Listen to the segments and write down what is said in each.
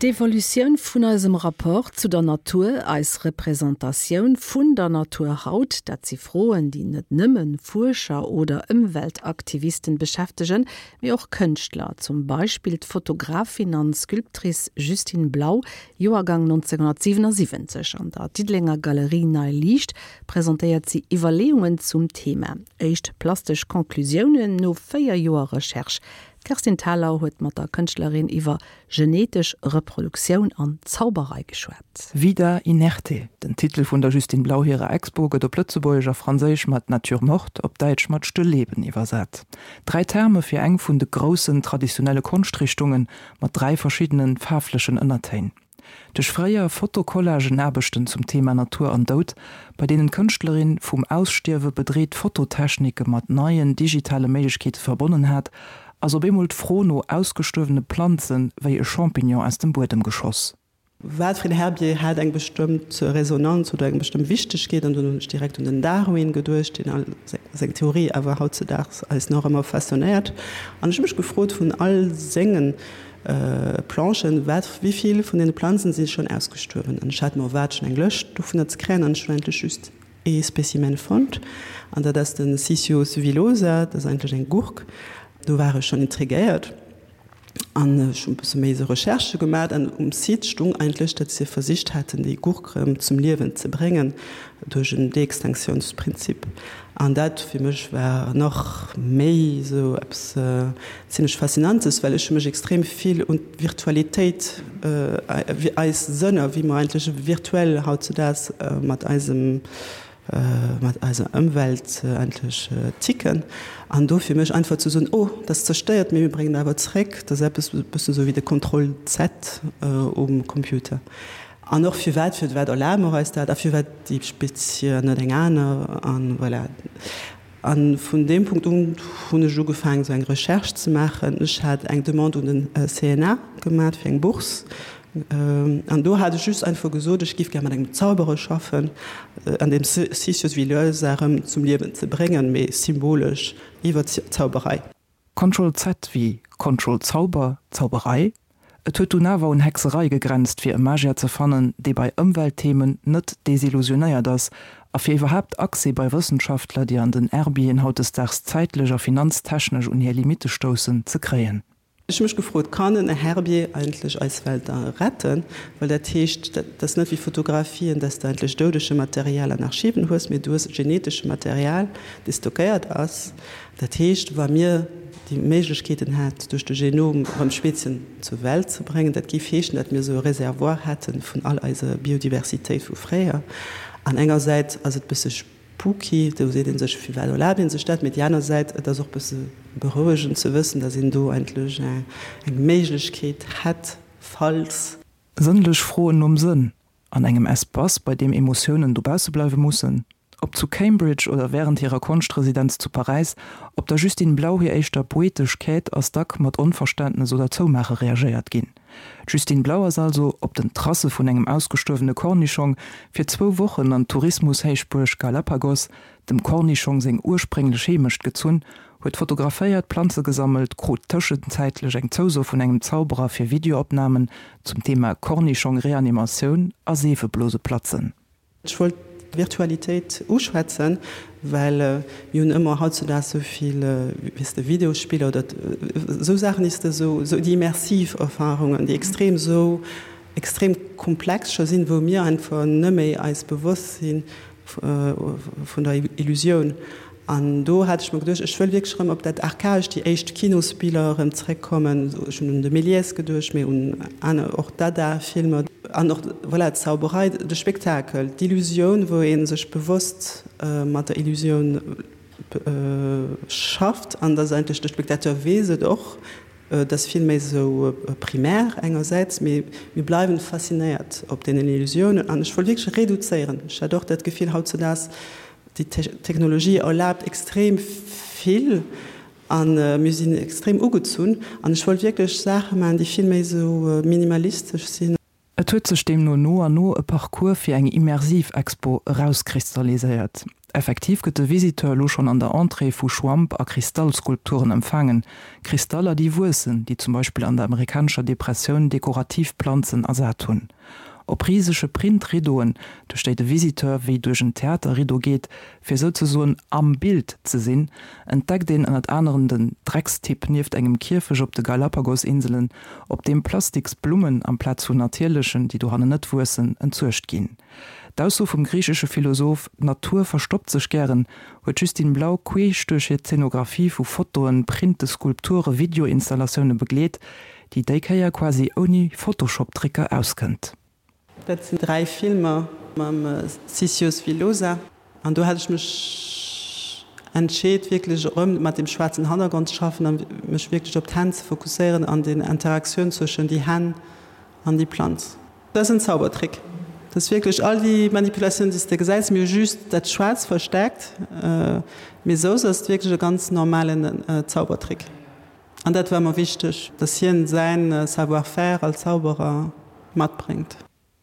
D'Evolutioun vun eisem Rapport zu der Natur, eis Representatioun vun der Natur haut, dat si Froen, déi net nëmme Fuerscher oder Ëmweltaktivisten beschäftegen, mee och Kënschtler, zum Beispill d'Fotografin an Sculptrice Justine Blau, Joergang 1977. An der Diddelenger Galerie Nei Liicht presentéiert si Iwwerleeungen zum Thema. Éischt plastesch Conclusiounen no 4 Joer Recherche. D'Kerstin Thalau huet mat der Kënschtlerin iwwer genetesch Reproduktioun an Zauberei geschwat. Vida inerte, den Titel vun der Justine Blau hirer Expo gëtt op Lëtzebuergesch a Franséisch mat Nature morte, op Däitsch mat Stillleben iwwersat. Dräi Terme fir eng vun de groussen traditionelle Konschtrichtungen, mat dräi verschiddenen faarflechen Ënnertéin. Duerch fréier Fotocollagen-Aarbechten zum Thema Natur an Doud, bei deenen d'Kënschtlerin vum Ausstierwe bedreet Fototechnike mat neien digitale Méiglechkeete verbonnen hat, ass op eemol d'Fro no ausgestuerwene Planze wéi e Champignon aus dem Buedem geschoss. Wat fir en Herbier hat eng bestëmmt Resonanz oder eng bestëmmt Wichtegkeet? An dunn hunn ech direkt un den Darwin geduecht, deen all seng Theorie awer hautzedaags eis nach ëmmer faszinéiert. An ech hu mech gefrot, vun all sengen Planchen, wat, wéi vill vun deene Planzen si schonn ausgestuerwen? An ech hat mer erwaart, schonn eng Lëscht dovunner ze kréien, an ech hunn eigentlech just ee Specimen fonnt, an dat ass de Sicyos villosa, dat ass eigentlech eng Gurk. Do war ech schonn intriguéiert an ech hunn e bësse méi esou Recherchë gemat, an um Site stung eigentlech, datt se versicht haten, déi Gurk erëm zum Liewen ze bréngen duerch en Deextinctiounsprinzip. An dat fir mech war nach méi esou eppes zimlech Faszinantes, well ech hu mech extrem vill un d'Virtualitéit, eis Sënner, wéi mer eigentlech virtuell hautzudaags mat eisem, mat eiser Ëmwelt eigentlech ticken. An do fir mech einfach ze soen, oh, dat ass zerstéiert, mee mir bréngen et awer zréck, dat ass eppes e bëssen esou wéi de Contrôle Z um Computer. An och firwat, firwat erlabe mer eis dat a firwat déi Spezie an net eng aner an voilà. A vun deem Punkt un hunn ech ugefaangen, esou eng Recherche ze maachen. Ech hat eng Demande un den CNA gemat fir eng Bourse. An do hat ech just einfach gesot, ech géif gär mat engem Zauberer schaffen an deem Sisyphus Villosa erëm zum Liewen ze bréngen, mee symbolesch iwwer d'Zauberei. Control Z wéi Control Zauber, Zauberei? Et huet dunn awer un Hexerei gegrenzt fir e Magier ze fannen, dee bei Ëmweltthemen net desillusionéiert ass a fir iwwerhaapt Accès bei Wëssenschaftler, déi an den Herbieren hautdesdaags zäitlech a finanztechnesch un hir Limitte stoussen, ze kréien. Ech hu mech gefrot, Kann en Herbier eigentlech eis Welt da retten? Well dat heescht, dat ass net wéi Fotografien, dass de eigentlech doudege Material an Archiven hues, mee du hues genetesche Material, dee stockéiert ass. Dat heescht, wa mir déi Méiglechkeeten hätt, duerch de Genom erëm Spezien zur Welt ze bréngen, dat géif heeschen, datt mir esou e Réservoir hätte vun all eiser Biodiversitéit vu fréier. An engersäits ass et bësse spooky, do seet ee sech, firwat erlaabt ee sech dat? Mee déi aner Säit, et ass och bësse berouegend ze wëssen, datt een do eigentlech eng Méiglechkeet hätt, falls. Sënnlech Froen nom Sënn an engem Espace, bei deem Emotiounen dobausse bleiwe mussen. Ob zu Cambridge oder wärend hirer Konschtresidenz zu Paräis, op der Justine Blau hir éischter poetesch Quête ass dack mat Onverständnes oder Zoumaache reagéiert ginn. D'Justine Blau ass also, op den Tracë vun engem ausgestuerwene Kornischong, fir zwou Wochen an d'Tourismushéichbuerg Galapagos, dem Kornischong seng ursprénglech Heemecht, gezunn, huet fotograféiert, Planze gesammelt, krut tëschenzäitlech eng Zouso vun engem Zauberer fir Videoopnamen zum Thema Kornischong-Reanimatioun a Seefebloseplatzen. Ech wollt d'Virtualitéit uschwätzen, well mir hunn ëmmer hautzudaags esou vill, weess de, Videospiller oder esou Saachen, déi s de esou, esou déi immersiv Erfarungen, déi extrem esou extrem komplex scho sinn, wou mir einfach net méi eis bewosst si vun der Illusioun. An do hat ech mer geduecht, ech wëll wierklech erëm op dat Archaescht, déi éischt Kinosbiller erëm zréckkommen. Ech hunn un de Méliès geduecht, mee un aner, och Dada-Filmer. An och, voilà, d'Zauberei, de Spektakel, d'Illusioun, wou ee sech bewosst mat der Illusioun schafft. An dass eigentlech de Spectateur weess et och, et ass vill méi esou primär engersäits, mee mir bleiwen faszinéiert op deenen Illusiounen. An ech wollt wierklech reduzéieren. Ech hat och dat Gefill hautzedaags, déi Technologie erlaabt extrem vill a mir sinn extrem ugezunn. An ech wollt wierklech Saache maachen, déi vill méi esou minimalistesch sinn. Et huet sech deemno no an no e Parcours fir eng immersiv Expo erauskristalliséiert. Effektiv gëtt de Visiteur elo schonn an der Entrée vu Schwamp a Kristallskulpturen empfaangen, Kristaller déi wuessen, déi zum Beispill an der amerikanescher Depressioun dekorativ Planzen ersat hunn. Op risege Print-Riddoen, duerch déi de Visiteur wéi duerch en Theater-Riddo geet, fir souzesoen am Bild ze sinn, entdeckt een ënnert anerem den Dreckstipp nieft engem Kierfech op de Galapagos-Inselen, op deem plastiks Blummen amplaz vun natierlechen, déi dohannen net wuessen, entsuergt ginn. D'Ausso vum griichesche Philosoph D'Natur verstoppt sech gären huet d'Justine Blau queesch duerch hir Zeenografie vu Fotoen, Printe, Skulpture, Videoinstallatioune begleet, déi déi Kéier quasi ouni Photoshop-Tricker auskënnt. Dat sinn 3 Filmer mam Sisius Villosa an do hat ech mech entscheet wierklech erëm mat deem schwaarzen Hannergrond ze schaffen an mech wierklech op d'Hänn ze fokusséieren an den Interaktioun zwëschen déi Hänn an déi Planz. Dat ass en Zaubertrick. Dat ass wierklech all déi Manipulatioun, déi s de gesäis, mir hu just dat Schwaarz verstärkt, mee soss ass et wierklech e ganz normalen Zaubertrick. An dat war mer wichteg, dass hien säin Savoir-faire als Zauberer matbréngt.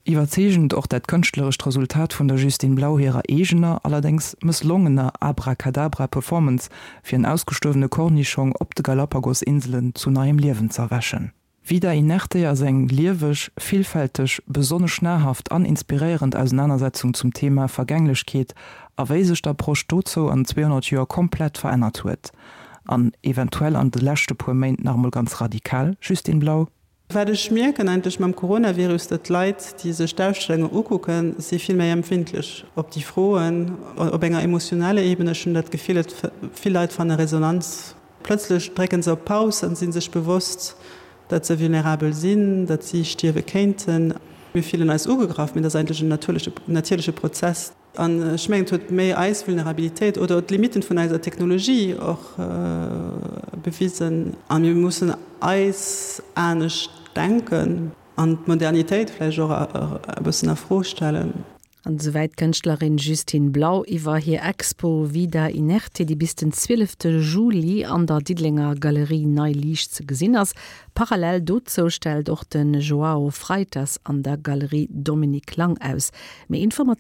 Iwwerzeegend och dat kënschtlerescht Resultat vun der Justine Blau hirer eegener, allerdéngs mësslongener Abracadabra-Performance, fir en ausgestuerwene Kornischong op de Galapagos-Inselen zu neiem Liewen z'erwächen. Vida Inerte ass eng lieweg, villfälteg, besonnesch nahrhaft an inspiréierend Ausenanersetzung zum Thema Vergänglechkeet a wéi sech d'Approche dozou an 200 Joer komplett verännert huet. An eventuell an de leschte puer Méint nach emol ganz radikal, Justine Blau? Wat ech mierken eigentlech mam Coronavirus, datt d'Leit, déi sech d'Ausstellunge ukucken, si vill méi empfindlech op déi Froen, op enger emotionaler Ebene. Ech hunn dat Gefill, et vill Leit fanne Resonanz Plëtzlech drécken se op Paus an si sech bewosst, datt se vulnerabel sinn, datt si stierwe kéinten. Mir fillen eis ugegraff, mee dat ass eigentlech en natierleche Prozess. An ech mengen, et huet méi eis Vulnerabilitéit oder d'Limitten vun eiser Technologie och bewisen. A mir mussen eis anescht denken an d'Modernitéit vläicht och e bëssen a Fro stellen. An esouwäit d'Kënschtlerin Justine Blau iwwer hir Expo Vida Inerte, déi bis den 12 Juli an der Diddelenger Galerie Nei Liicht ze gesinn ass. Parallel dozou stellt och de Joao Freitas an der Galerie Dominique Lang aus. Méi Informatiounen.